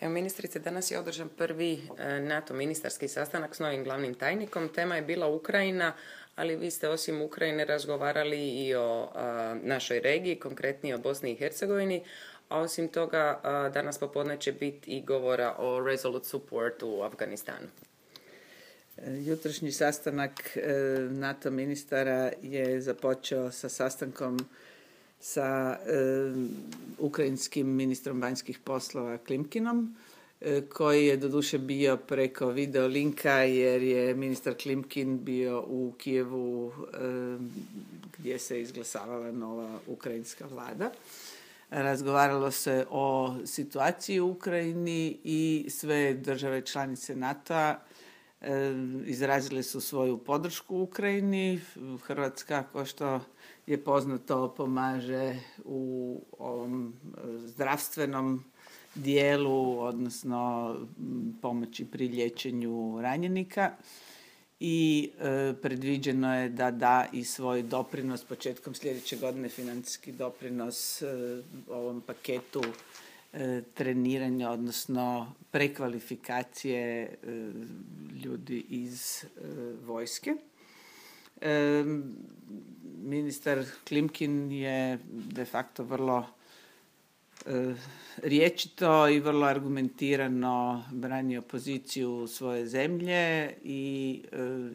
Evo, ministrice, danas je održan prvi NATO ministarski sastanak s novim glavnim tajnikom. Tema je bila Ukrajina, ali vi ste osim Ukrajine razgovarali i o našoj regiji, konkretnije o Bosni i Hercegovini. A osim toga, danas popodne će biti i govora o Resolute Support u Afganistanu. Jutrošnji sastanak NATO ministara je započeo sa sastankom sa ukrajinskim ministrom vanjskih poslova Klimkinom, koji je doduše bio preko video linka jer je ministar Klimkin bio u Kijevu gdje se izglasavala nova ukrajinska vlada. Razgovaralo se o situaciji u Ukrajini i sve države članice NATO-a izrazile su svoju podršku Ukrajini. Hrvatska, kao što je poznato, pomaže u ovom zdravstvenom dijelu, odnosno pomoći pri liječenju ranjenika i predviđeno je da da i svoj doprinos početkom sljedeće godine, financijski doprinos ovom paketu treniranja, odnosno prekvalifikacije ljudi iz vojske. Ministar Klimkin je de facto vrlo rječito i vrlo argumentirano branio poziciju svoje zemlje i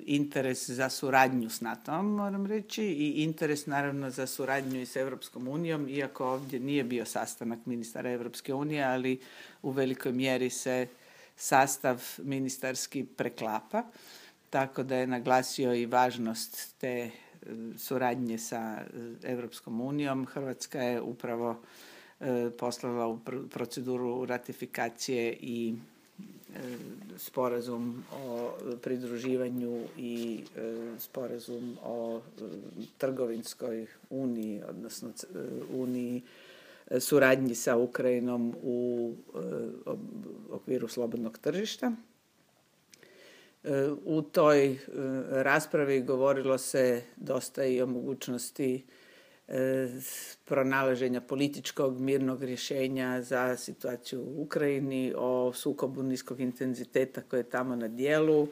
interes za suradnju s NATO-om, moram reći, i interes naravno za suradnju i s Europskom unijom, iako ovdje nije bio sastanak ministara Europske unije, ali u velikoj mjeri se sastav ministarski preklapa, tako da je naglasio i važnost te suradnje sa Europskom unijom. Hrvatska je upravo poslala u proceduru ratifikacije i sporazum o pridruživanju i sporazum o trgovinskoj uniji, odnosno uniji suradnji sa Ukrajinom u okviru slobodnog tržišta. U toj raspravi govorilo se dosta i o mogućnosti pronalaženja političkog mirnog rješenja za situaciju u Ukrajini, o sukobu niskog intenziteta koje je tamo na djelu.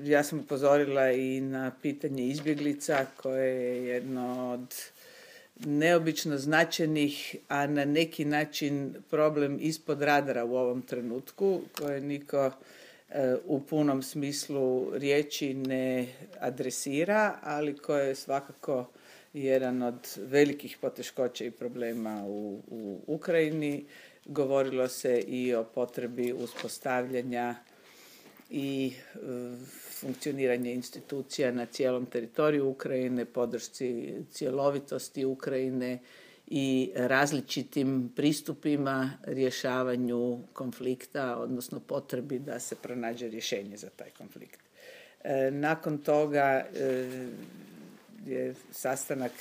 Ja sam upozorila i na pitanje izbjeglica koje je jedno od neobično značajnih, a na neki način problem ispod radara u ovom trenutku, koje niko u punom smislu riječi ne adresira, ali koje je svakako jedan od velikih poteškoća i problema u Ukrajini. Govorilo se i o potrebi uspostavljanja i funkcioniranja institucija na cijelom teritoriju Ukrajine, podršci cjelovitosti Ukrajine i različitim pristupima rješavanju konflikta, odnosno potrebi da se pronađe rješenje za taj konflikt. Nakon toga je sastanak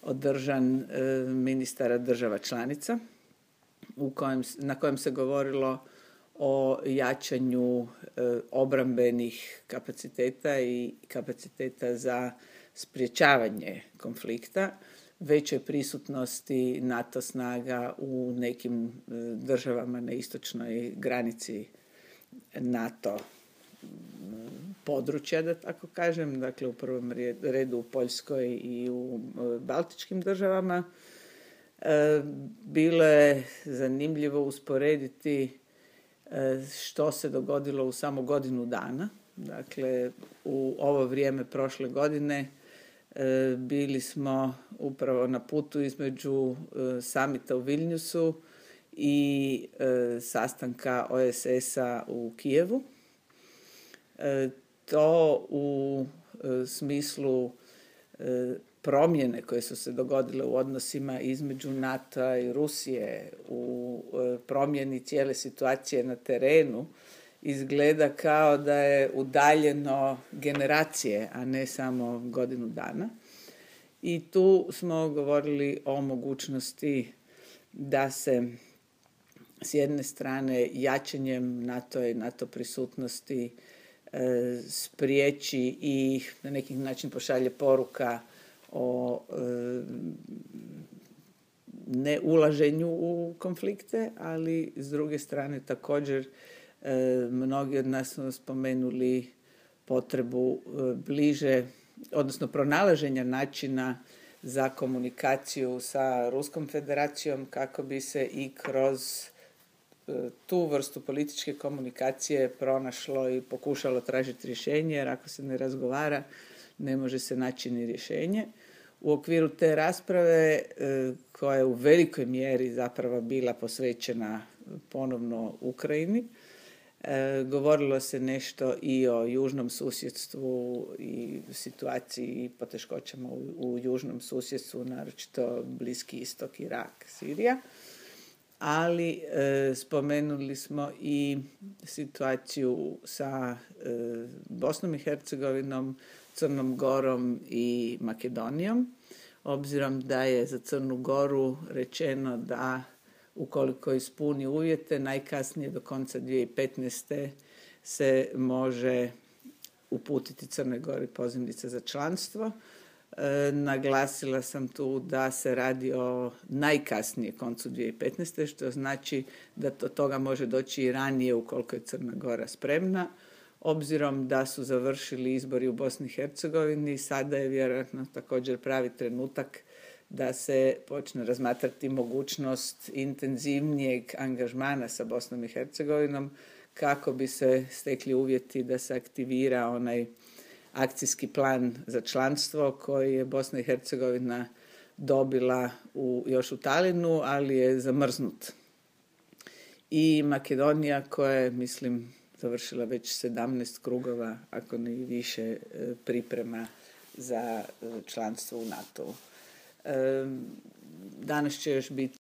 održan ministara država članica na kojem se govorilo o jačanju obrambenih kapaciteta i kapaciteta za sprječavanje konflikta, većoj prisutnosti NATO snaga u nekim državama na istočnoj granici NATO područja, da tako kažem, dakle u prvom redu u Poljskoj i u baltičkim državama. Bilo je zanimljivo usporediti što se dogodilo u samo godinu dana. Dakle, u ovo vrijeme prošle godine bili smo upravo na putu između samita u Vilniusu i sastanka OESS-a u Kijevu. To u smislu promjene koje su se dogodile u odnosima između NATO-a i Rusije, u promjeni cijele situacije na terenu, izgleda kao da je udaljeno generacije, a ne samo godinu dana. I tu smo govorili o mogućnosti da se s jedne strane jačanjem NATO i NATO prisutnosti spriječi i na neki način pošalje poruka o ne ulaženju u konflikte, ali s druge strane također mnogi od nas su spomenuli potrebu bliže, odnosno pronalaženja načina za komunikaciju sa Ruskom federacijom kako bi se i kroz tu vrstu političke komunikacije pronašlo i pokušalo tražiti rješenje, jer ako se ne razgovara ne može se naći ni rješenje. U okviru te rasprave koja je u velikoj mjeri zapravo bila posvećena ponovno Ukrajini, govorilo se nešto i o južnom susjedstvu i situaciji i poteškoćama u južnom susjedstvu, naročito Bliski istok, Irak, Sirija. Ali spomenuli smo i situaciju sa Bosnom i Hercegovinom, Crnom Gorom i Makedonijom, obzirom da je za Crnu Goru rečeno da ukoliko ispuni uvjete, najkasnije do konca 2015. se može uputiti Crnoj Gori pozivnica za članstvo. Naglasila sam tu da se radi o najkasnije koncu 2015. što znači da do toga može doći i ranije ukoliko je Crna Gora spremna. Obzirom da su završili izbori u Bosni i Hercegovini, sada je vjerojatno također pravi trenutak da se počne razmatrati mogućnost intenzivnijeg angažmana sa Bosnom i Hercegovinom kako bi se stekli uvjeti da se aktivira onaj akcijski plan za članstvo koji je Bosna i Hercegovina dobila još u Talinu, ali je zamrznut. I Makedonija koja je, mislim, završila već 17 krugova, ako ne i više, priprema za članstvo u NATO-u. Danas će još biti